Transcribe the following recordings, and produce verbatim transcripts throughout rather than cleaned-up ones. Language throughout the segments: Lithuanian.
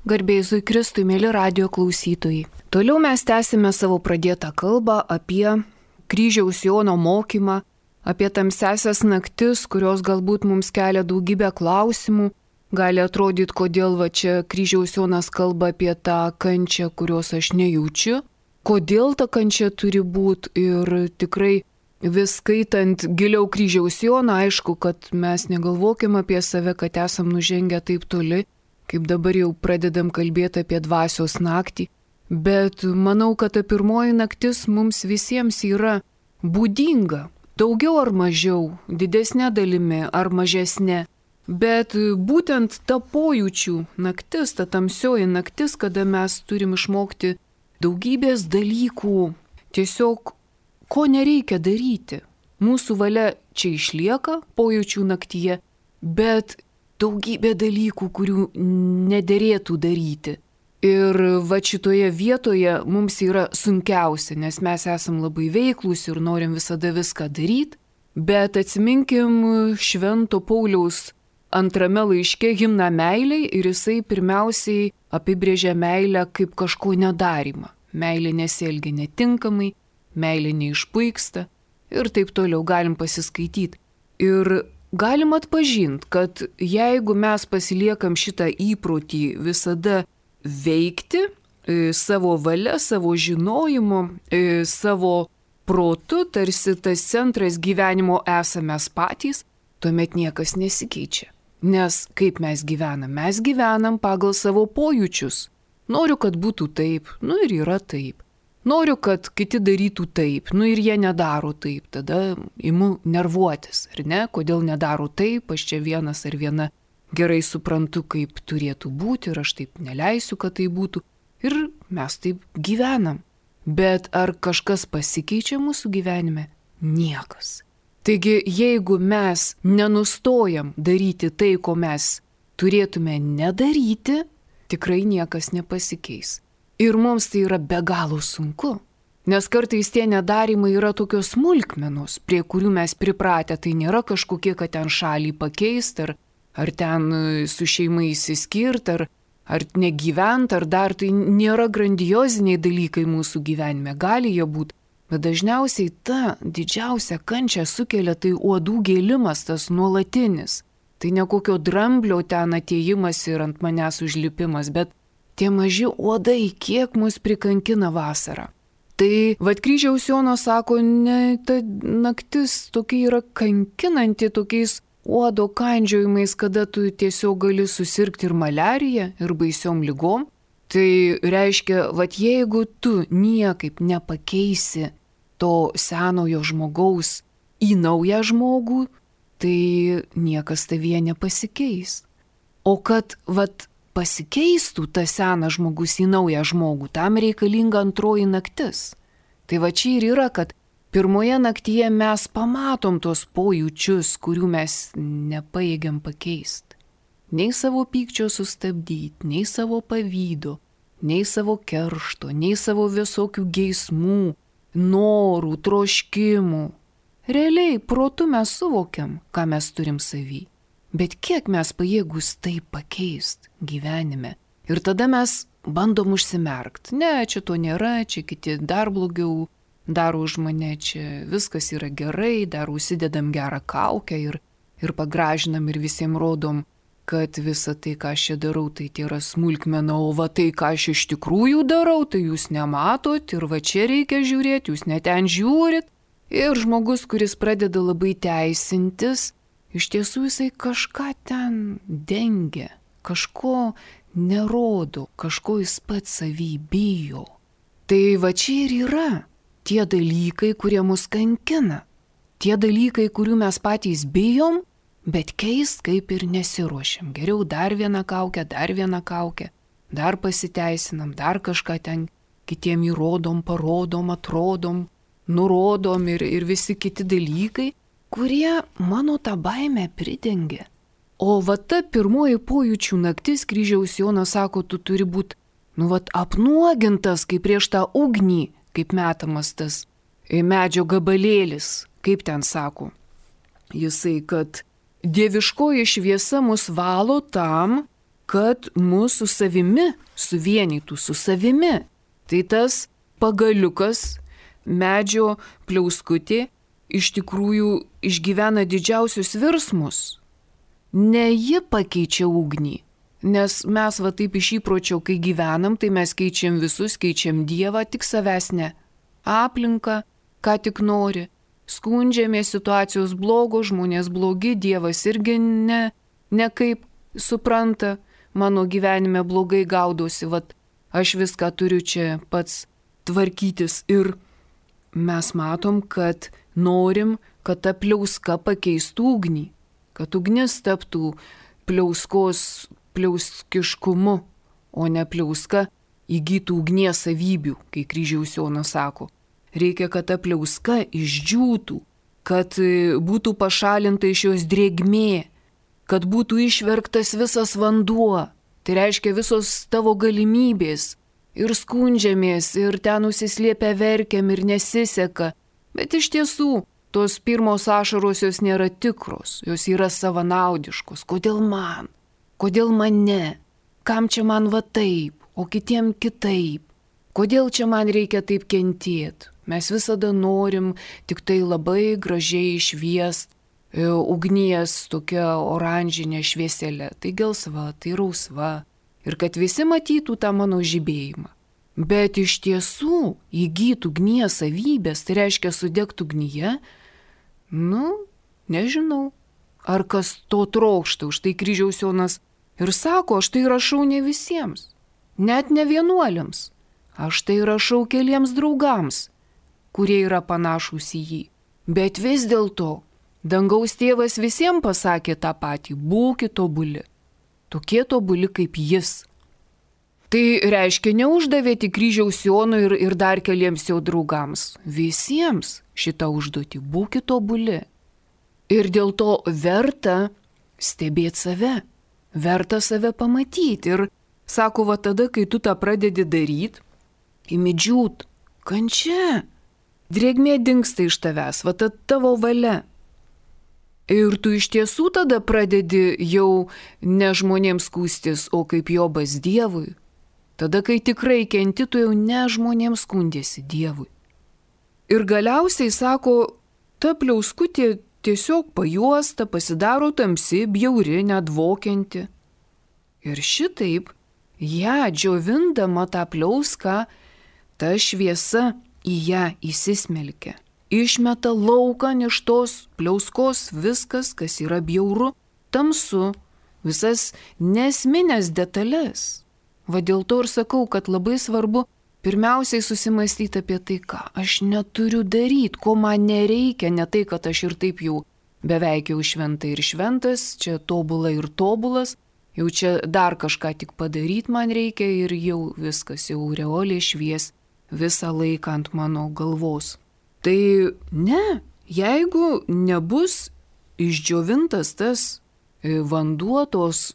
Garbė Jėzui Kristui, mėly radijo klausytojai. Toliau mes tęsime savo pradėtą kalbą apie kryžiaus Jono mokymą, apie tamsiasias naktis, kurios galbūt mums kelia daugybę klausimų. Gali atrodyti, kodėl va čia kryžiaus Jonas kalba apie tą kančią, kurios aš nejaučiu. Kodėl ta kančia turi būti ir tikrai vis skaitant giliau kryžiaus Joną, aišku, kad mes negalvokim apie save, kad esam nužengę taip toli, kaip dabar jau pradedam kalbėti apie dvasios naktį, bet manau, kad ta pirmoji naktis mums visiems yra būdinga, daugiau ar mažiau, didesnė dalimi ar mažesnė, bet būtent ta pojūčių naktis, ta tamsioji naktis, kada mes turim išmokti daugybės dalykų, tiesiog ko nereikia daryti. Mūsų valia čia išlieka pojūčių naktyje, bet daugybė dalykų, kurių nederėtų daryti. Ir va šitoje vietoje mums yra sunkiausia, nes mes esam labai veiklūs ir norim visada viską daryti, bet atsiminkim Švento Pauliaus antrame laiške himną meiliai ir jisai pirmiausiai apibrėžia meilę kaip kažko nedarimą. Meilė nesielgia netinkamai, meilė neišpuiksta ir taip toliau galim pasiskaityti. Ir galim atpažinti, kad jeigu mes pasiliekam šitą įprotį visada veikti e, savo valia, savo žinojimu, e, savo protu, tarsi tas centras gyvenimo esame mes patys, tuomet niekas nesikeičia. Nes kaip mes gyvenam? Mes gyvenam pagal savo pojūčius. Noriu, kad būtų taip, nu ir yra taip. Noriu, kad kiti darytų taip, nu ir jie nedaro taip, tada imu nervuotis, ar ne? Kodėl nedaro taip, aš čia vienas ar viena gerai suprantu, kaip turėtų būti ir aš taip neleisiu, kad tai būtų. Ir mes taip gyvenam. Bet ar kažkas pasikeičia mūsų gyvenime? Niekas. Taigi, jeigu mes nenustojam daryti tai, ko mes turėtume nedaryti, tikrai niekas nepasikeis. Ir mums tai yra be galo sunku, nes kartais tie nedarimai yra tokios smulkmenos, prie kurių mes pripratę, tai nėra kažkokie, kad ten šalį pakeisti, ar, ar ten su šeima įsiskirti, ar, ar negyventi, ar dar tai nėra grandioziniai dalykai mūsų gyvenime, gali jie būti, bet dažniausiai ta didžiausia kančia sukelia tai uodų gėlimas, tas nuolatinis, tai ne kokio dramblio ten atėjimas ir ant manęs užlipimas, bet tie maži uodai, kiek mus prikankina vasarą. Tai vad kryžiaus Jonas sako, ne, ta naktis tokia yra kankinanti tokiais uodo kandžiojimais, kada tu tiesiog gali susirgti ir maliarija, ir baisiom lygom. Tai reiškia, vad jeigu tu niekaip nepakeisi to senojo žmogaus į naują žmogų, tai niekas tavyje nepasikeis. O kad vad pasikeistų tas senas žmogus į naują žmogų, tam reikalinga antroji naktis. Tai va čia ir yra, kad pirmoje naktyje mes pamatom tos pojūčius, kurių mes nepajėgiam pakeisti. Nei savo pykčio sustabdyti, nei savo pavydo, nei savo keršto, nei savo visokių geismų, norų, troškimų. Realiai, protu mes suvokiam, ką mes turim savy. Bet kiek mes pajėgus tai pakeisti gyvenime? Ir tada mes bandom užsimerkti. Ne, čia to nėra, čia kiti dar blogiau daro už mane, čia viskas yra gerai, dar užsidedam gerą kaukę ir, ir pagražinam ir visiems rodom, kad visa tai, ką aš čia darau, tai tai yra smulkmena, o va tai, ką aš iš tikrųjų darau, tai jūs nematot ir va čia reikia žiūrėti, jūs ne ten žiūrit. Ir žmogus, kuris pradeda labai teisintis, iš tiesų jisai kažką ten dengia, kažko nerodo, kažko jis pats savy bijo. Tai va čia ir yra tie dalykai, kurie mus kankina. Tie dalykai, kurių mes patys bijom, bet keist kaip ir nesiruošiam. Geriau dar vieną kaukę, dar vieną kaukę, dar pasiteisinam, dar kažką ten kitiem įrodom, parodom, atrodom, nurodom ir, ir visi kiti dalykai, kurie mano tą baimę pridengia. O va ta pirmoji pojūčių naktis, kryžiaus Jonas sako, tu turi būti, nu vat, apnuogintas, kaip prieš tą ugnį, kaip metamas tas medžio gabalėlis, kaip ten sako. Jisai, kad dieviškoji šviesa mus valo tam, kad mūsų savimi suvienytų su savimi. Tai tas pagaliukas, medžio pliauskutė, iš tikrųjų išgyvena didžiausius virsmus. Ne ji pakeičia ugnį, nes mes va taip iš įpročio, kai gyvenam, tai mes keičiam visus, keičiam Dievą, tik savęs ne. Aplinką, ką tik nori. Skundžiamės, situacijos blogos, žmonės blogi, Dievas irgi ne, ne kaip supranta, mano gyvenime blogai gaudosi, vat aš viską turiu čia pats tvarkytis. Ir mes matom, kad norim, kad ta pliauska pakeistų ugnį, kad ugnis taptų pliauskos pliauskiškumu, o ne pliauska įgytų ugnies savybių, kai Kryžiaus Jonas sako. Reikia, kad ta pliauska išdžiūtų, kad būtų pašalinta iš jos drėgmė, kad būtų išverktas visas vanduo. Tai reiškia visos tavo galimybės. Ir skundžiamės, ir ten nusislėpę verkiam, ir nesiseka. Bet iš tiesų, tos pirmos ašaros jos nėra tikros, jos yra savanaudiškos. Kodėl man? Kodėl mane? Kam čia man va taip, o kitiem kitaip? Kodėl čia man reikia taip kentėti? Mes visada norim tik tai labai gražiai šviest e, ugnies tokia oranžinė švieselė. Tai gelsva, tai rausva. Ir kad visi matytų tą mano žibėjimą. Bet iš tiesų įgytų ugnies savybės, tai reiškia sudegtų ugnyje, nu, nežinau. Ar kas to trokšta, už tai Kryžiaus Jonas ir sako, aš tai rašau ne visiems, net ne vienuoliams. Aš tai rašau keliems draugams, kurie yra panašūs į jį. Bet vis dėlto, dangaus tėvas visiems pasakė tą patį, būkit tobuli, tokie tobuli kaip jis. Tai reiškia, neuždavė tik Kryžiaus Jonui ir, ir dar keliems jo draugams. Visiems šitą užduotį, būkit tobuli. Ir dėl to verta stebėti save, verta save pamatyti. Ir sako, va tada, kai tu tą pradedi daryti, įmidžiūt, kančia, drėgmė dingsta iš tavęs, va ta tavo valia. Ir tu iš tiesų tada pradedi jau ne žmonėms skųstis, o kaip Jobas Dievui. Tada, kai tikrai kenti, tu jau ne žmonėms skundėsi Dievui. Ir galiausiai, sako, ta pliauskutė tiesiog pajuosta, pasidaro tamsi, bjauri, nedvokianti. Ir šitaip, ją džiovindama tą pliauską, ta šviesa į ją įsismelkia. Išmeta laukan iš tos pliauskos viskas, kas yra bjauru, tamsu, visas nesminės detalės. Va dėl to ir sakau, kad labai svarbu pirmiausiai susimastyti apie tai, ką aš neturiu daryti, ko man nereikia, ne tai, kad aš ir taip jau beveik jau šventai ir šventas, čia tobula ir tobulas, jau čia dar kažką tik padaryti man reikia ir jau viskas, jau aureolė švies visą laiką ant mano galvos. Tai ne, jeigu nebus išdžiovintas tas vanduo, tos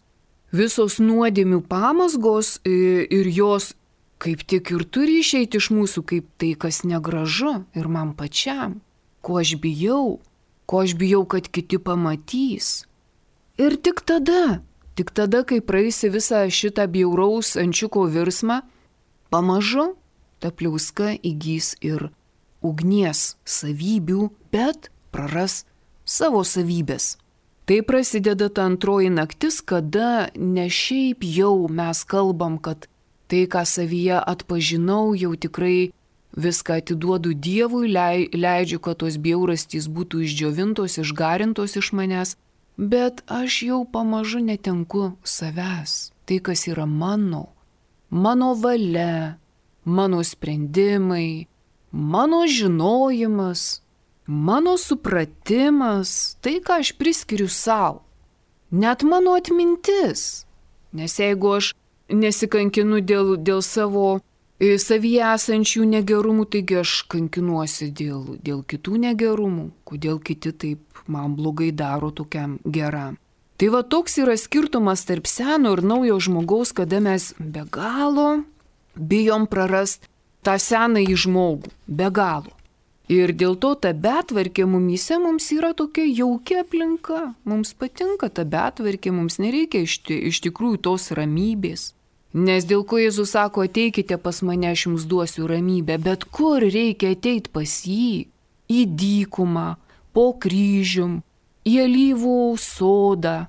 visos nuodėmių pamazgos ir jos kaip tik ir turi išeiti iš mūsų kaip tai, kas negražu ir man pačiam, ko aš bijau, ko aš bijau, kad kiti pamatys. Ir tik tada, tik tada, kai praeisi visą šitą bjauraus ančiuko virsmą, pamažu ta pliauska įgys ir ugnies savybių, bet praras savo savybės. Tai prasideda ta antroji naktis, kada ne šiaip jau mes kalbam, kad tai, ką savyje atpažinau, jau tikrai viską atiduodu Dievui, leidžiu, kad tos bjaurastys būtų išdžiovintos, išgarintos iš manęs, bet aš jau pamažu netenku savęs. Tai, kas yra mano, mano valia, mano sprendimai, mano žinojimas, mano supratimas, tai, ką aš priskiriu savo, net mano atmintis. Nes jeigu aš nesikankinu dėl, dėl savo e, savyje esančių negerumų, taigi aš kankinuosi dėl, dėl kitų negerumų, kodėl kiti taip man blogai daro tokiam geram. Tai va toks yra skirtumas tarp seno ir naujo žmogaus, kada mes be galo bijom prarast tą senąjį žmogų, be galo. Ir dėl to ta betvarkė mumyse mums yra tokia jaukia aplinka. Mums patinka ta betvarkė, mums nereikia iš, iš tikrųjų tos ramybės. Nes dėl ko Jėzus sako, ateikite pas mane, aš jums duosiu ramybę. Bet kur reikia ateiti pas jį? Į dykumą, po kryžium, į alyvų sodą,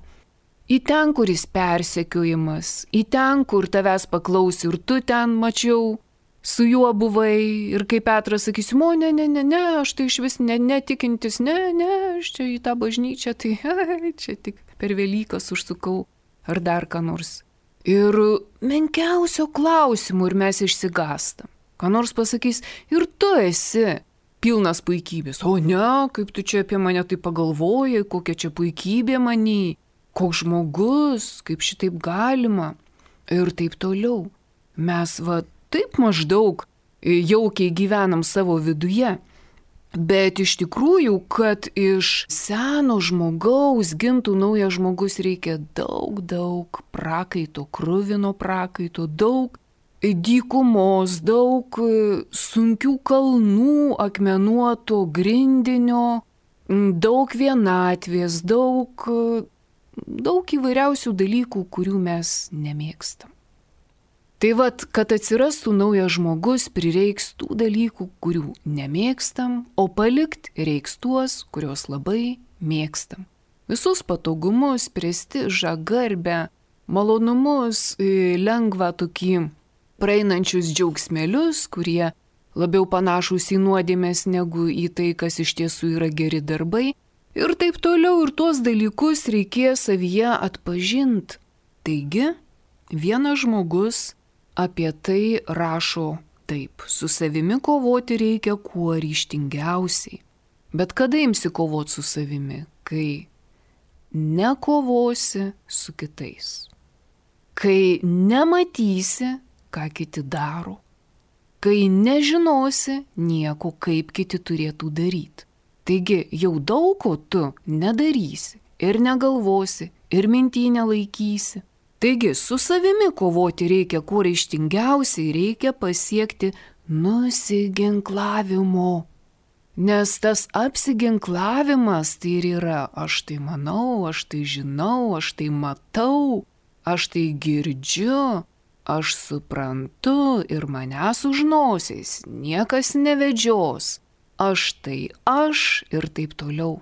į ten, kur jis persekiojimas, į ten, kur tavęs paklausi ir tu ten mačiau, su juo buvai ir kaip Petras sakysi, o ne, ne, ne, ne, aš tai iš vis ne, netikintis, ne, ne, aš čia į tą bažnyčią, tai ai, čia tik per Velykas užsukau ar dar ką nors. Ir menkiausio klausimų ir mes išsigastam. Ką nors pasakys, ir tu esi pilnas puikybės. O ne, kaip tu čia apie mane tai pagalvojai, kokia čia puikybė manį, koks žmogus, kaip šitaip galima. Ir taip toliau. Mes va taip maždaug jaukiai gyvenam savo viduje. Bet iš tikrųjų, kad iš seno žmogaus gimtų naujas žmogus, reikia daug, daug prakaito, kruvino prakaito, daug dykumos, daug sunkių kalnų, akmenuoto grindinio, daug vienatvės, daug, daug įvairiausių dalykų, kurių mes nemėgstam. Tai vat, kad atsirastų naujas žmogus, prireiks tų dalykų, kurių nemėgstam, o palikt reiks tuos, kuriuos labai mėgstam. Visus patogumus, prestižą, garbę, malonumus, lengvą tokį praeinančius džiaugsmelius, kurie labiau panašus į nuodėmes negu į tai, kas iš tiesų yra geri darbai. Ir taip toliau, ir tuos dalykus reikės savyje atpažinti. Taigi, vienas žmogus apie tai rašo taip. Su savimi kovoti reikia kuo ryžtingiausiai. Bet kada imsi kovoti su savimi? Kai nekovosi su kitais. Kai nematysi, ką kiti daro. Kai nežinosi nieko, kaip kiti turėtų daryti. Taigi jau daug ko tu nedarysi ir negalvosi ir mintį nelaikysi. Taigi su savimi kovoti reikia kuo ryžtingiausiai, reikia pasiekti nusiginklavimo. Nes tas apsiginklavimas tai ir yra aš tai manau, aš tai žinau, aš tai matau, aš tai girdžiu, aš suprantu ir manęs už nosies niekas nevedžios, aš tai aš ir taip toliau.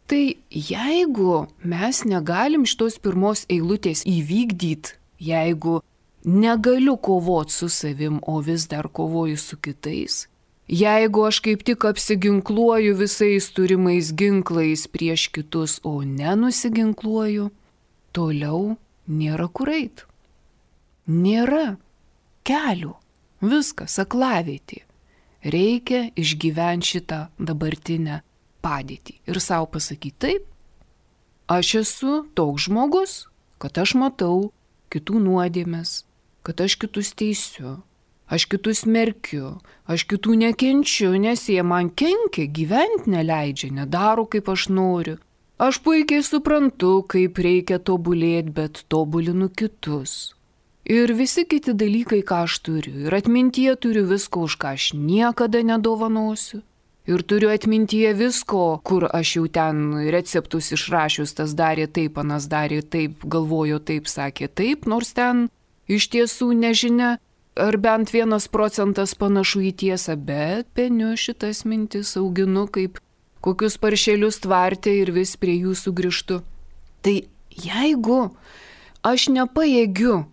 Tai jeigu mes negalim šitos pirmos eilutės įvykdyti, jeigu negaliu kovoti su savim, o vis dar kovoju su kitais, jeigu aš kaip tik apsiginkluoju visais turimais ginklais prieš kitus, o nenusiginkluoju, toliau nėra kur eit. Nėra kelių. Viskas, aklavietė. Reikia išgyventi šitą dabartinę padėtį ir savo pasakyti taip. Aš esu toks žmogus, kad aš matau kitų nuodėmes, kad aš kitus teisiu, aš kitus merkiu, aš kitų nekenčiu, nes jie man kenkia, gyventi neleidžia, nedaro kaip aš noriu. Aš puikiai suprantu, kaip reikia tobulėti, bet tobulinu kitus. Ir visi kiti dalykai, ką aš turiu. Ir atmintyje turiu visko, už ką aš niekada nedovanosiu. Ir turiu atmintyje visko, kur aš jau ten receptus išrašius, tas darė taip, anas darė taip, galvojo taip, sakė taip, nors ten iš tiesų nežinia, ar bent vienas procentas panašu į tiesą, bet peniu šitas mintis auginu kaip kokius paršelius tvarte ir vis prie jų sugrįžtu. Tai jeigu aš nepajėgiu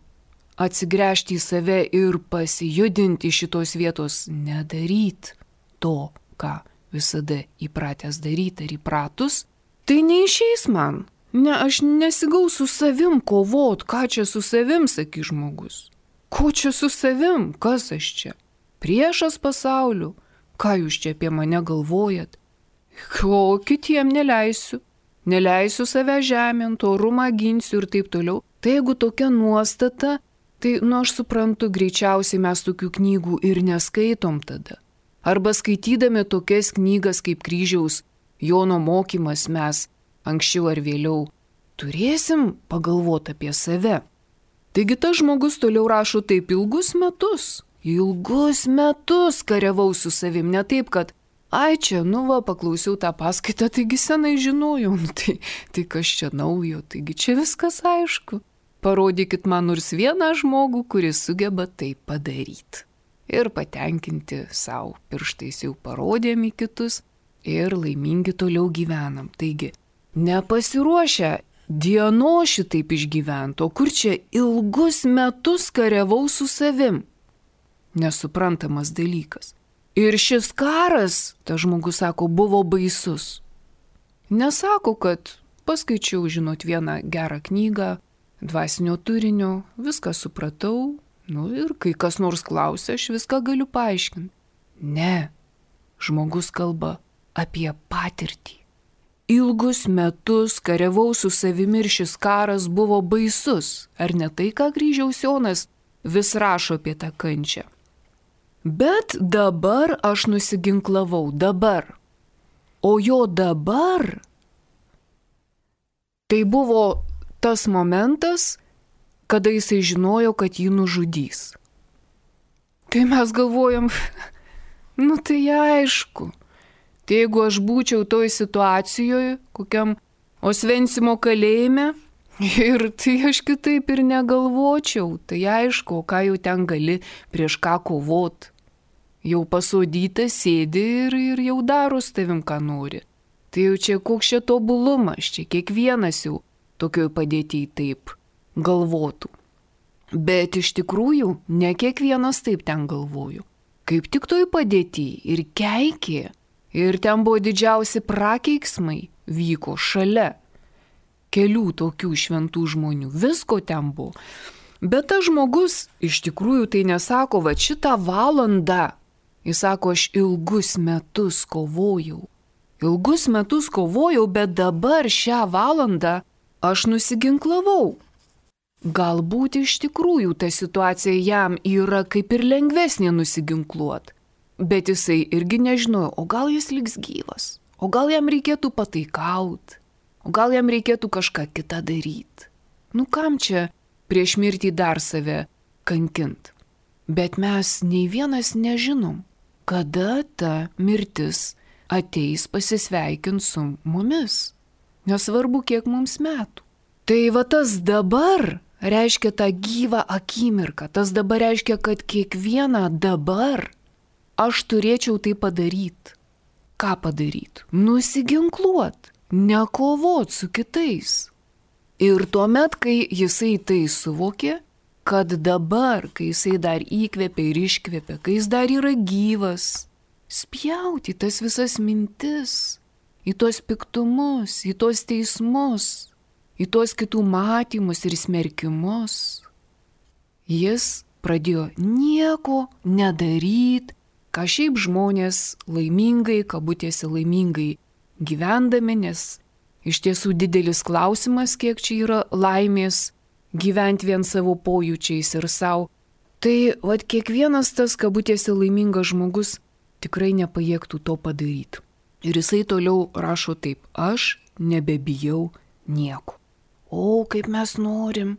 atsigręžti į save ir pasijudinti iš šitos vietos, nedaryti to, ką visada įpratęs daryti ar įpratus, tai neišeis man. Ne, aš nesigau su savim kovot, ką čia su savim, sakys žmogus. Ko čia su savim, kas aš čia? Priešas pasauliu, ką jūs čia apie mane galvojat? Ko kitiem neleisiu, neleisiu save žemint, orumą ginsiu ir taip toliau. Tai jeigu tokia nuostata, tai, nu aš suprantu, greičiausiai mes tokių knygų ir neskaitom tada. Arba skaitydami tokias knygas kaip Kryžiaus Jono mokymas mes anksčiau ar vėliau turėsim pagalvoti apie save. Taigi tas žmogus toliau rašo taip ilgus metus, ilgus metus kariavau su savim, ne taip, kad Ai čia, nu va, paklausiau tą paskaitą, taigi senai žinojau, nu, tai, tai kas čia naujo, taigi čia viskas aišku. Parodykit man nors vieną žmogų, kuris sugeba tai padaryti. Ir patenkinti savo pirštais jau parodėm į kitus ir laimingi toliau gyvenam. Taigi, nepasiruošę dieno šitaip išgyventi, o kur čia ilgus metus kariavau su savim. Nesuprantamas dalykas. Ir šis karas, ta žmogus sako, buvo baisus. Nesako, kad paskaičiau, žinot, vieną gerą knygą, dvasinio turinio, viską supratau, nu ir kai kas nors klausia, aš viską galiu paaiškinti. Ne, žmogus kalba apie patirtį. Ilgus metus kariavau su savimi ir šis karas buvo baisus. Ar ne tai, ką Kryžiaus Jonas vis rašo apie tą kančią? Bet dabar aš nusiginklavau, dabar. O jo dabar tai buvo tas momentas, kada jisai žinojo, kad jį nužudys. Tai mes galvojam, nu tai aišku, tai jeigu aš būčiau toj situacijoje, kokiam Osvencimo kalėjime, ir tai aš kitaip ir negalvočiau, tai aišku, ką jau ten gali prieš ką kovot. Jau pasodytas sėdi ir, ir jau daro su tavim, ką nori. Tai jau čia koks čia tobulumas, čia kiekvienas jau tokioj padėtyje taip galvotų. Bet iš tikrųjų ne kiekvienas taip ten galvoju. Kaip tik toj padėtyje ir keikė, ir ten buvo didžiausi prakeiksmai, vyko šalia kelių tokių šventų žmonių, visko ten buvo. Bet tas žmogus iš tikrųjų tai nesako, va šitą valandą, jis sako, aš ilgus metus kovojau. Ilgus metus kovojau, bet dabar šią valandą aš nusiginklavau. Galbūt iš tikrųjų ta situacija jam yra kaip ir lengvesnė nusiginkluot. Bet jisai irgi nežinojo, o gal jis liks gyvas, o gal jam reikėtų pataikaut, o gal jam reikėtų kažką kitą daryti. Nu kam čia prieš mirtį dar save kankint? Bet mes nei vienas nežinom, kada ta mirtis ateis pasisveikint su mumis. Nesvarbu, kiek mums metų. Tai va tas dabar reiškia tą gyvą akimirką. Tas dabar reiškia, kad kiekvieną dabar aš turėčiau tai padaryti. Ką padaryti? Nusiginkluot, nekovot su kitais. Ir tuomet, kai jisai tai suvokė, kad dabar, kai jisai dar įkvėpia ir iškvėpia, kai jis dar yra gyvas, spjauti tas visas mintis, į tos piktumus, į tos teismus, į tos kitų matymus ir smerkimus. Jis pradėjo nieko nedaryti, ką šiaip žmonės laimingai, kabutėse laimingai gyvendami, nes iš tiesų didelis klausimas, kiek čia yra laimės gyventi vien savo pojūčiais ir savo. Tai vat kiekvienas tas kabutėse laimingas žmogus tikrai nepajėgtų to padaryti. Ir jisai toliau rašo taip, aš nebebijau nieko. O, kaip mes norim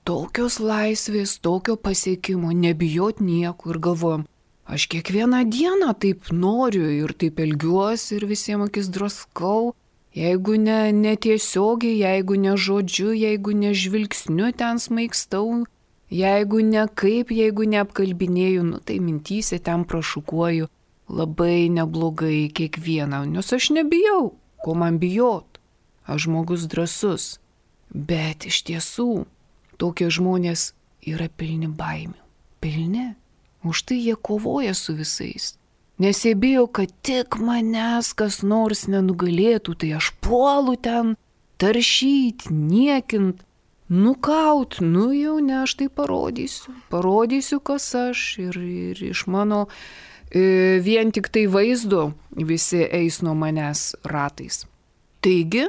tokios laisvės, tokio pasiekimo, nebijot nieko. Ir galvojam, aš kiekvieną dieną taip noriu ir taip elgiuosi ir visiems akis draskau. Jeigu ne, ne tiesiogiai, jeigu ne žodžiu, jeigu ne žvilgsniu ten smaigstau, jeigu ne kaip, jeigu neapkalbinėju, nu tai mintyse ten prašukuoju labai neblogai kiekvieną, nes aš nebijau, ko man bijot, aš žmogus drąsus. Bet iš tiesų tokie žmonės yra pilni baimių, pilni, už tai jie kovoja su visais. Nes jie bijo, kad tik manęs kas nors nenugalėtų, tai aš puolu ten, taršyt, niekint, nukaut, nu jau ne, aš tai parodysiu, parodysiu, kas aš ir, ir iš mano e, vien tik tai vaizdo visi eis nuo manęs ratais. Taigi,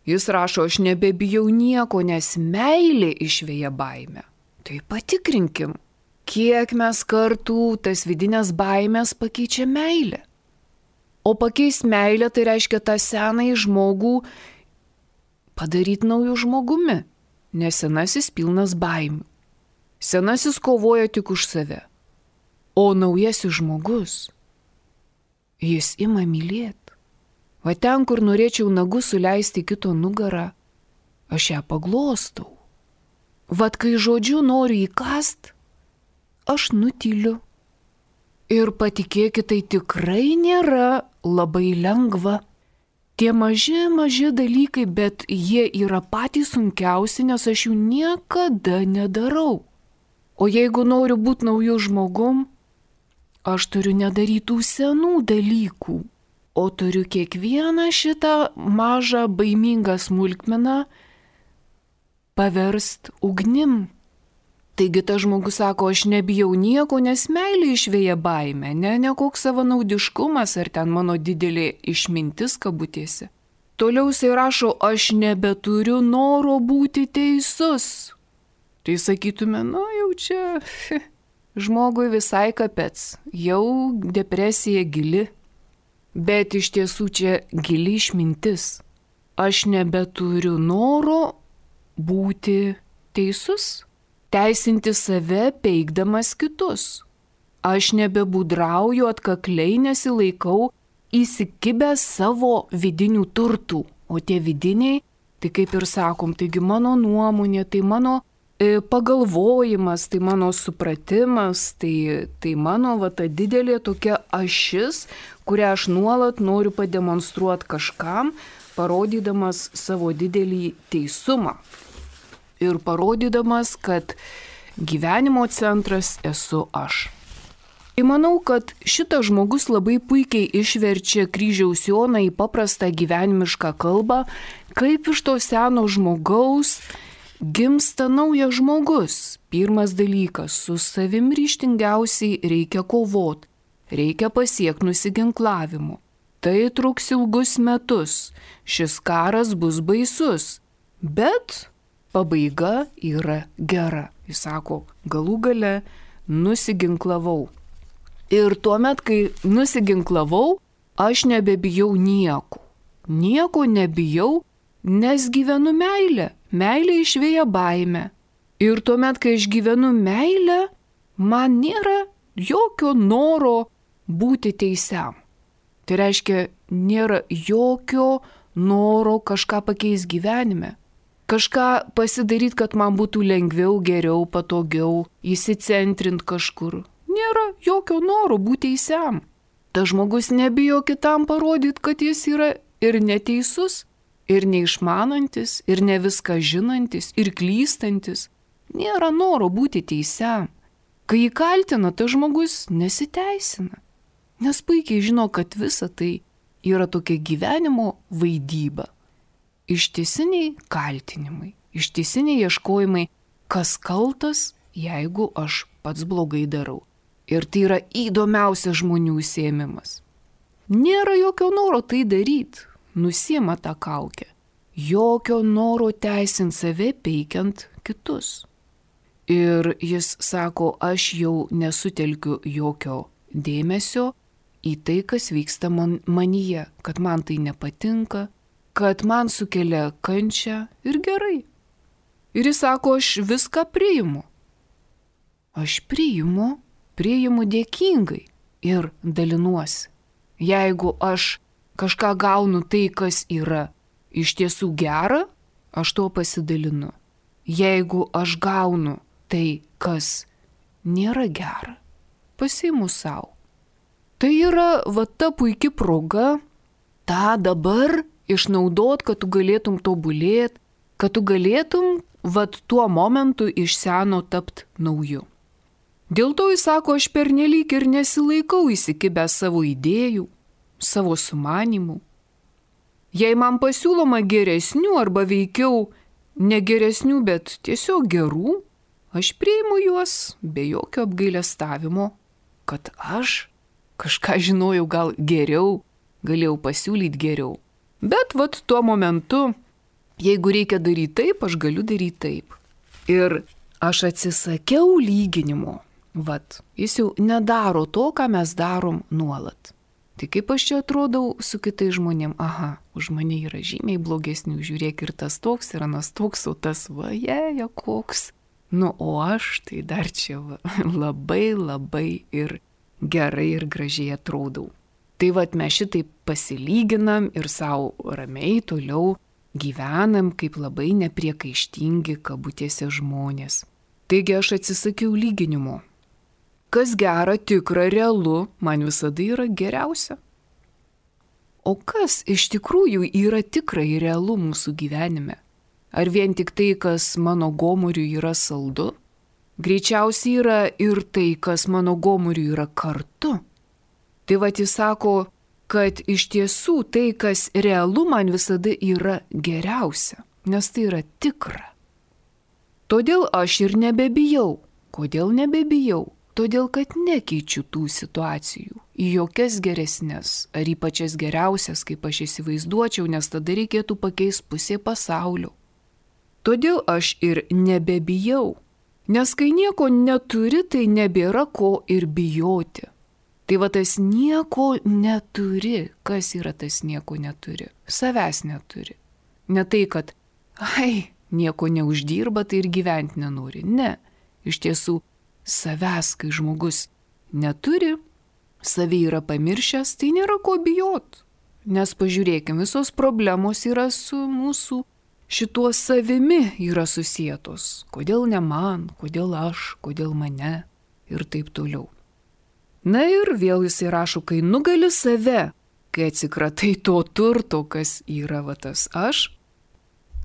jis rašo, aš nebebijau nieko, nes meilė išveja baimę. Tai patikrinkim. Kiek mes kartų tas vidinės baimės pakeičia meilę. O pakeis meilę tai reiškia tą senąjį žmogų padaryti naujų žmogumi, nes senasis pilnas baimių. Senasis kovoja tik už save, o naujasis žmogus, jis ima mylėti. Va ten, kur norėčiau nagus suleisti kito nugarą, aš ją paglostau. Vat kai žodžiu noriu įkast, aš nutyliu. Ir patikėkit, tai tikrai nėra labai lengva. Tie maži, maži dalykai, bet jie yra patys sunkiausi, nes aš jų niekada nedarau. O jeigu noriu būti naujų žmogum, aš turiu nedarytų senų dalykų, o turiu kiekvieną šitą mažą baimingą smulkmeną paverst ugnim. Taigi tas žmogus sako, aš nebijau nieko, nes meilė išvėja baimę, ne, ne koks savanaudiškumas ar ten mano didelė išmintis kabutėse. Toliau jisai rašo, aš nebeturiu noro būti teisus. Tai sakytume, nu jau čia žmogui visai kapets, jau depresija gili. Bet iš tiesų čia gili išmintis. Aš nebeturiu noro būti teisus. Teisinti save peikdamas kitus. Aš nebebudrauju atkakliai, nesilaikau įsikibęs savo vidinių turtų. O tie vidiniai, tai kaip ir sakom, taigi mano nuomonė, tai mano e, pagalvojimas, tai mano supratimas, tai, tai mano va, ta didelė tokia ašis, kurią aš nuolat noriu pademonstruoti kažkam, parodydamas savo didelį teisumą. Ir parodydamas, kad gyvenimo centras esu aš. Tai manau, kad šitas žmogus labai puikiai išverčia kryžiaus Joną į paprastą gyvenimišką kalbą, kaip iš to seno žmogaus gimsta naujas žmogus. Pirmas dalykas, su savim ryžtingiausiai reikia kovoti, reikia pasiekti nusiginklavimu. Tai truks ilgus metus, šis karas bus baisus, bet pabaiga yra gera. Jis sako, galų gale nusiginklavau. Ir tuomet, kai nusiginklavau, aš nebebijau nieko. Nieko nebijau, nes gyvenu meilę. Meilė išvėja baimę. Ir tuomet, kai aš gyvenu meilę, man nėra jokio noro būti teisiam. Tai reiškia, nėra jokio noro kažką pakeisti gyvenime. Kažką pasidaryti, kad man būtų lengviau, geriau, patogiau, įsicentrint kažkur. Nėra jokio noro būti teisiam. Tas žmogus nebijo kitam parodyti, kad jis yra ir neteisus, ir neišmanantis, ir ne viską žinantis, ir klystantis. Nėra noro būti teisiam. Kai jį kaltina, tas žmogus nesiteisina. Nes puikiai žino, kad visa tai yra tokia gyvenimo vaidyba. Ištisiniai kaltinimai, ištisiniai ieškojimai, kas kaltas, jeigu aš pats blogai darau. Ir tai yra įdomiausias žmonių užsiėmimas. Nėra jokio noro tai daryti, nusiima tą kaukę. Jokio noro teisinti save peikiant kitus. Ir jis sako, aš jau nesutelkiu jokio dėmesio į tai, kas vyksta man, manyje, kad man tai nepatinka, kad man sukelia kančią ir gerai. Ir jis sako, aš viską priimu. Aš priimu, priimu dėkingai ir dalinuosi. Jeigu aš kažką gaunu tai, kas yra iš tiesų gera, aš to pasidalinu. Jeigu aš gaunu tai, kas nėra gera, pasiimu savo. Tai yra va ta puikia proga tą dabar išnaudot, kad tu galėtum tobulėti, kad tu galėtum vat tuo momentu iš seno tapt nauju. Dėl to jis sako, aš pernelyg ir nesilaikau įsikibęs savo idėjų, savo sumanimų. Jei man pasiūloma geresnių arba veikiau negeresnių, bet tiesiog gerų, aš priimu juos be jokio apgailestavimo, kad aš kažką žinojau gal geriau, galėjau pasiūlyti geriau. Bet vat tuo momentu, jeigu reikia daryti taip, aš galiu daryti taip. Ir aš atsisakiau lyginimo. Vat, jis jau nedaro to, ką mes darom nuolat. Tai kaip aš čia atrodau su kitais žmonėm? Aha, už mane yra žymiai blogesnių, žiūrėk ir tas toks, ir anas toks, o tas va, jeja, koks. Nu, o aš tai dar čia va, labai, labai ir gerai ir gražiai atrodau. Tai vat mes šitaip pasilyginam ir savo ramiai toliau gyvenam kaip labai nepriekaištingi kabutėse žmonės. Taigi aš atsisakiau lyginimo. Kas gera, tikra, realu, man visada yra geriausia. O kas iš tikrųjų yra tikra ir realu mūsų gyvenime? Ar vien tik tai, kas mano gomuriui yra saldu? Greičiausiai yra ir tai, kas mano gomuriui yra kartu. Tai vat jis sako, kad iš tiesų tai, kas realu, man visada yra geriausia, nes tai yra tikra. Todėl aš ir nebebijau. Kodėl nebebijau? Todėl, kad nekeičiu tų situacijų į jokias geresnės ar į pačias geriausias, kaip aš įsivaizduočiau, nes tada reikėtų pakeisti pusė pasaulio. Todėl aš ir nebebijau, nes kai nieko neturi, tai nebėra ko ir bijoti. Tai va tas nieko neturi. Kas yra tas nieko neturi? Savęs neturi. Ne tai, kad, ai, nieko neuždirba, tai ir gyventi nenori. Ne. Iš tiesų, savęs, kai žmogus neturi, savį yra pamiršęs, tai nėra ko bijot. Nes pažiūrėkime, visos problemos yra su mūsų šituo savimi yra susietos. Kodėl ne man, kodėl aš, kodėl mane ir taip toliau. Na ir vėl jisai rašo, kai nugali save, kai atsikratai to turto, kas yra va tas aš,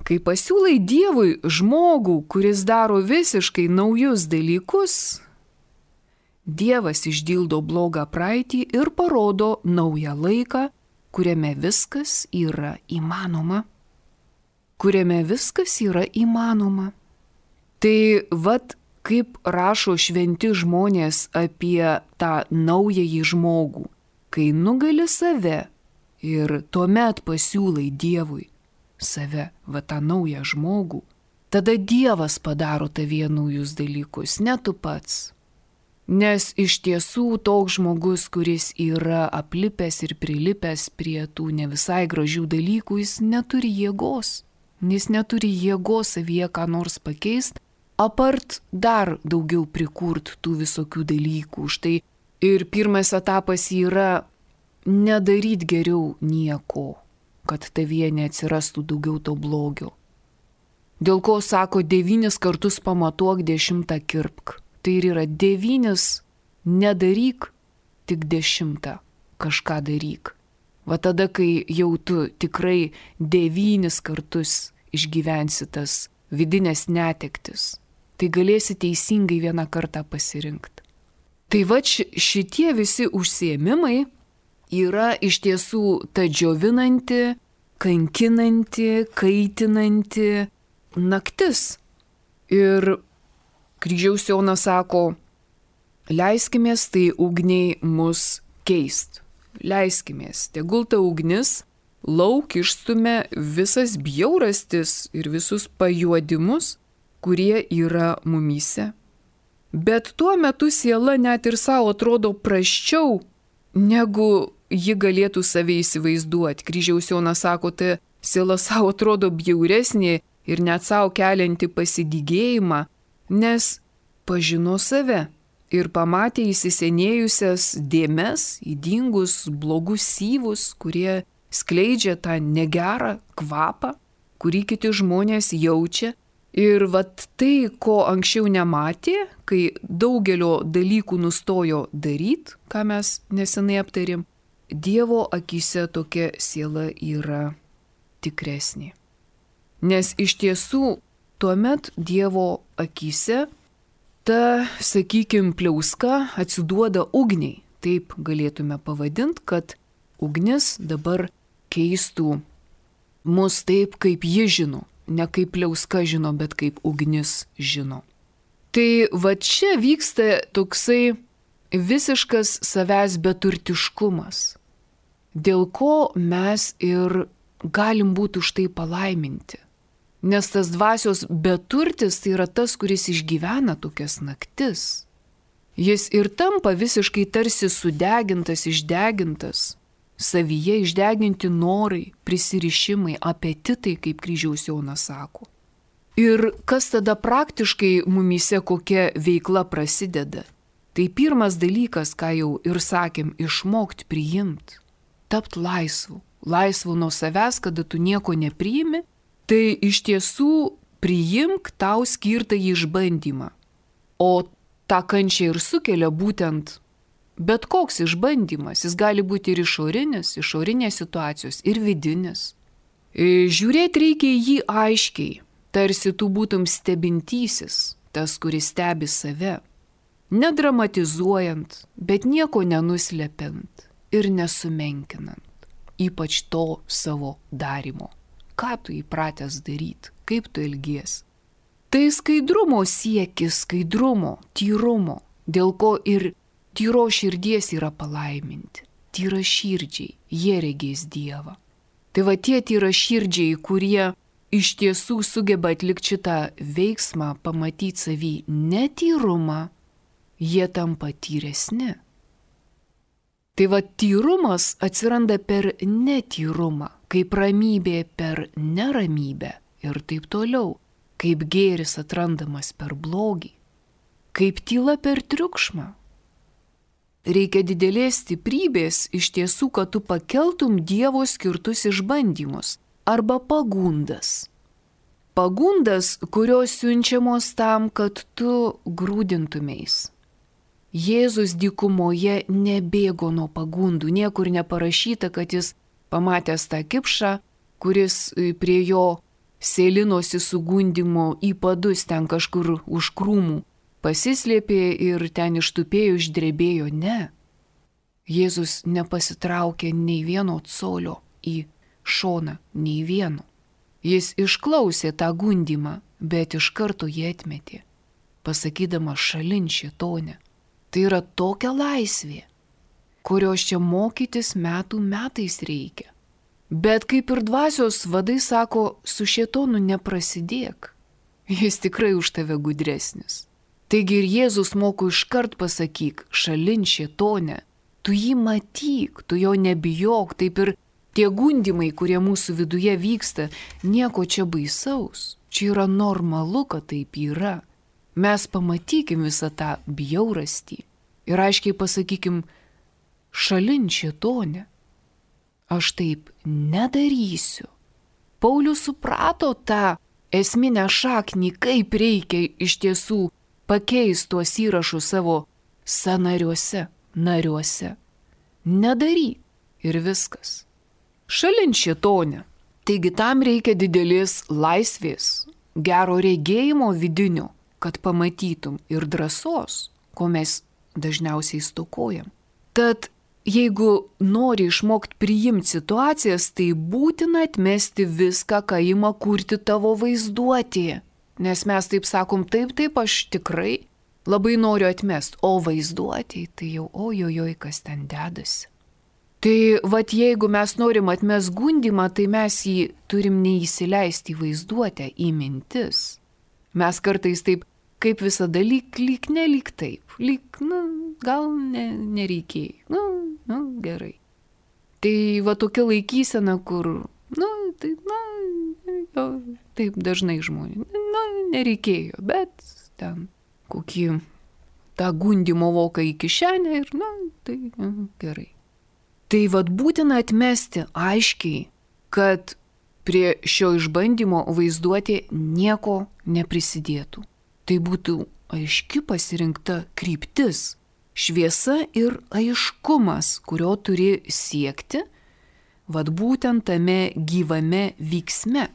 kai pasiūlai Dievui žmogų, kuris daro visiškai naujus dalykus, Dievas išdildo blogą praeitį ir parodo naują laiką, kuriame viskas yra įmanoma. Kuriame viskas yra įmanoma. Tai vat kaip rašo šventi žmonės apie tą naująjį žmogų, kai nugali save ir tuomet pasiūlai Dievui save, va tą naują žmogų, tada Dievas padaro tavyje naujus dalykus, ne tu pats. Nes iš tiesų toks žmogus, kuris yra aplipęs ir prilipęs prie tų ne visai gražių dalykų, jis neturi jėgos. Jis neturi jėgos savyje ką nors pakeisti, apart dar daugiau prikurt tų visokių dalykų. Štai ir pirmas etapas yra nedaryt geriau nieko, kad tavyje neatsirastų daugiau to blogio. Dėl ko sako devynis kartus pamatuok, dešimtą kirpk. Tai ir yra devynis nedaryk, tik dešimtą kažką daryk. Va tada, kai jau tu tikrai devynis kartus išgyvensi tas vidinės netektis, tai galėsi teisingai vieną kartą pasirinkti. Tai va šitie visi užsiėmimai yra iš tiesų ta džiovinanti, kankinanti, kaitinanti naktis. Ir Kryžiaus Jonas sako, leiskimės tai ugniai mus keist. Leiskimės, tegul ta ugnis lauk išstumia visas bjaurastis ir visus pajuodimus, kurie yra mumyse. Bet tuo metu siela net ir savo atrodo prasčiau, negu ji galėtų save įsivaizduoti. Kryžiaus Jonas sako, tai siela savo atrodo bjauresnė ir net savo kelianti pasidygėjimą, nes pažino save ir pamatė įsisenėjusias dėmes, ydingus, blogus syvus, kurie skleidžia tą negerą kvapą, kurį kiti žmonės jaučia. Ir vat tai, ko anksčiau nematė, kai daugelio dalykų nustojo daryti, ką mes nesenai aptarėm, Dievo akyse tokia siela yra tikresnė. Nes iš tiesų tuomet Dievo akyse ta, sakykim, pliauska atsiduoda ugniai. Taip galėtume pavadinti, kad ugnis dabar keistų mus taip, kaip ji žino. Ne kaip pliauska žino, bet kaip ugnis žino. Tai va čia vyksta toksai visiškas savęs beturtiškumas, dėl ko mes ir galim būti už tai palaiminti. Nes tas dvasios beturtis tai yra tas, kuris išgyvena tokias naktis. Jis ir tampa visiškai tarsi sudegintas, išdegintas, savyje išdeginti norai, prisirišimai, apetitai, kaip Kryžiaus Jonas sako. Ir kas tada praktiškai mumyse kokia veikla prasideda? Tai pirmas dalykas, ką jau ir sakėm, išmokti priimti. tapti laisvu. Laisvu nuo savęs, kada tu nieko nepriimi, tai iš tiesų priimk tau skirtą išbandymą. O tą kančią ir sukelia būtent bet koks išbandymas. Jis gali būti ir išorinis, išorinės situacijos, ir vidinis. Žiūrėti reikia į jį aiškiai, tarsi tu būtum stebintysis, tas, kuris stebi save. Nedramatizuojant, bet nieko nenuslepiant ir nesumenkinant, ypač to savo darimo. Ką tu įpratęs daryti, kaip tu elgiesi. Tai skaidrumo siekis, skaidrumo, tyrumo, dėl ko ir tyro širdies yra palaiminti. Tyra širdžiai, jie regės Dievą. Tai va tie tyra širdžiai, kurie iš tiesų sugeba atlikti šitą veiksmą, pamatyti savį netyrumą, jie tampa tyresni. Tai va tyrumas atsiranda per netyrumą, kaip ramybė per neramybę ir taip toliau, kaip gėris atrandamas per blogį, kaip tyla per triukšmą. Reikia didelės stiprybės iš tiesų, kad tu pakeltum Dievo skirtus išbandymus arba pagundas. Pagundas, kurios siunčiamos tam, kad tu grūdintumeis. Jėzus dykumoje nebėgo nuo pagundų, niekur neparašyta, kad jis pamatęs tą kipšą, kuris prie jo sėlinosi su gundymu į padus ten kažkur už krūmų, pasislėpė ir ten ištupėjo, išdrebėjo. Ne. Jėzus nepasitraukė nei vieno colio į šoną, nei vieno. Jis išklausė tą gundymą, bet iš karto jį atmetė, pasakydama šalin šėtone. Tai yra tokia laisvė, kurios čia mokytis metų metais reikia. Bet kaip ir dvasios vadai sako, su šėtonu neprasidėk. Jis tikrai už tave gudresnis. Taigi ir Jėzus moko iškart pasakyk, šalin šėtone, tu jį matyk, tu jo nebijok, taip ir tie gundymai, kurie mūsų viduje vyksta, nieko čia baisaus. Čia yra normalu, kad taip yra. Mes pamatykim visą tą bjaurastį ir aiškiai pasakykim, šalin šėtone, aš taip nedarysiu. Paulius suprato tą esminę šaknį, kaip reikia iš tiesų pakeisti tuos įrašus savo sąnariuose, nariuose. Nedaryk ir viskas. Šalin šėtone. Taigi tam reikia didelės laisvės, gero regėjimo vidinio, kad pamatytum ir drąsos, ko mes dažniausiai stokojam. Tad jeigu nori išmokti priimti situacijas, tai būtina atmesti viską, ką ima kurti tavo vaizduotė. Nes mes taip sakom, taip, taip, aš tikrai labai noriu atmesti, o vaizduotė, tai jau ojojoj, kas ten dedasi. Tai vat jeigu mes norim atmesti gundymą, tai mes jį turim neįsileisti į vaizduotę, į mintis. Mes kartais taip, kaip visada, lyg, lyg nelyg taip, lyg, nu, gal ne, nereikėjo, nu, nu, gerai. Tai va tokia laikysena, kur, nu, tai, na, taip dažnai žmonės, nu, nereikėjo, bet ten kokį tą gundymo voką į kišenę ir, na, tai na, gerai. Tai vat būtina atmesti aiškiai, kad prie šio išbandymo vaizduotė nieko neprisidėtų. Tai būtų aiški pasirinkta kryptis, šviesa ir aiškumas, kurio turi siekti, vad būtent tame gyvame vyksme.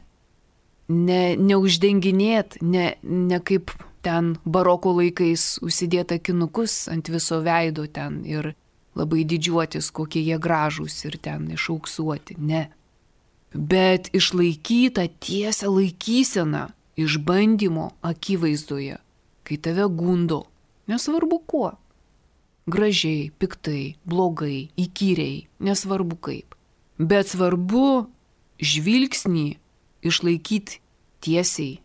Ne, neuždenginėt, ne, ne kaip ten baroko laikais užsidėt akinukus ant viso veido ten ir labai didžiuotis, kokie jie gražūs ir ten išauksuoti, ne. Bet išlaikyta tiesią laikyseną išbandymo akivaizdoje, kai tave gundo, nesvarbu kuo. Gražiai, piktai, blogai, įkyriai, nesvarbu kaip. Bet svarbu žvilgsnį išlaikyti tiesiai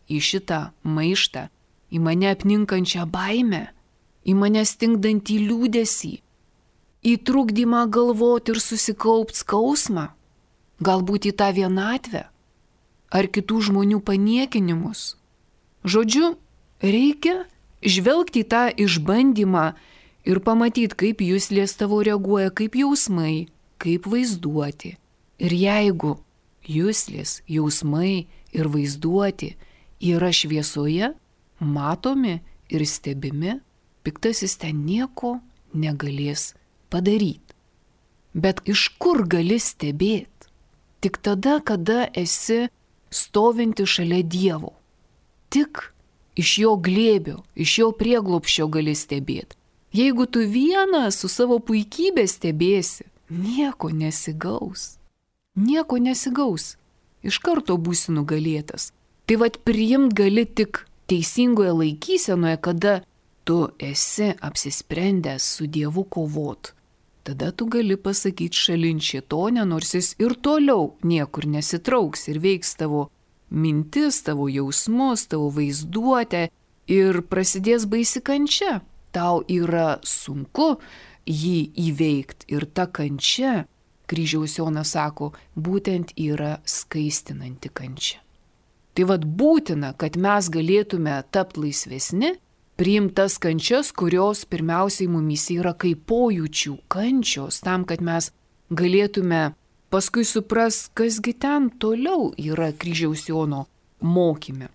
į šitą maištą, į mane apninkančią baimę, į mane stingdantį liūdesį, į trukdymą galvoti ir susikaupt skausmą, galbūt į tą vienatvę ar kitų žmonių paniekinimus. Žodžiu, reikia žvelgti į tą išbandymą ir pamatyti, kaip juslės tavo reaguoja, kaip jausmai, kaip vaizduoti. Ir jeigu juslės, jausmai ir vaizduoti yra šviesoje, matomi ir stebimi, piktasis ten nieko negalės padaryti. Bet iš kur gali stebėti? Tik tada, kada esi stovinti šalia Dievo. Tik iš jo glėbio, iš jo prieglobsčio gali stebėti. Jeigu tu vienas su savo puikybė stebėsi, nieko nesigaus. Nieko nesigaus. Iš karto būsi nugalėtas. Tai vat priimt gali tik teisingoje laikysenoje, kada tu esi apsisprendęs su Dievu kovot. Tada tu gali pasakyti šalin šėtonę, nors jis ir toliau niekur nesitrauks ir veiks tavo mintis, tavo jausmus, tavo vaizduotę ir prasidės baisi kančia. Tau yra sunku jį įveikti ir ta kančia, kryžiaus Jonas sako, būtent yra skaistinanti kančia. Tai vad būtina, kad mes galėtume tapti laisvesni, priimtas kančias, kurios pirmiausiai mumyse yra kaip pojūčių kančios, tam, kad mes galėtume paskui supras, kasgi ten toliau yra kryžiaus Jono mokyme.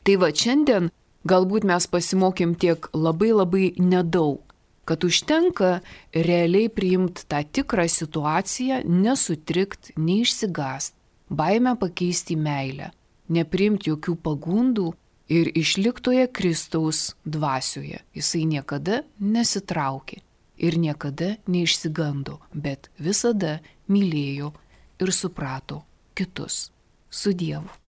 Tai va šiandien galbūt mes pasimokėm tiek labai labai nedaug, kad užtenka realiai priimti tą tikrą situaciją, nesutrikt, neišsigąst, baimę pakeisti į meilę, nepriimti jokių pagundų, ir išliktoje Kristaus dvasioje. Jisai niekada nesitraukė ir niekada neišsigando, bet visada mylėjo ir suprato kitus. Su Dievu.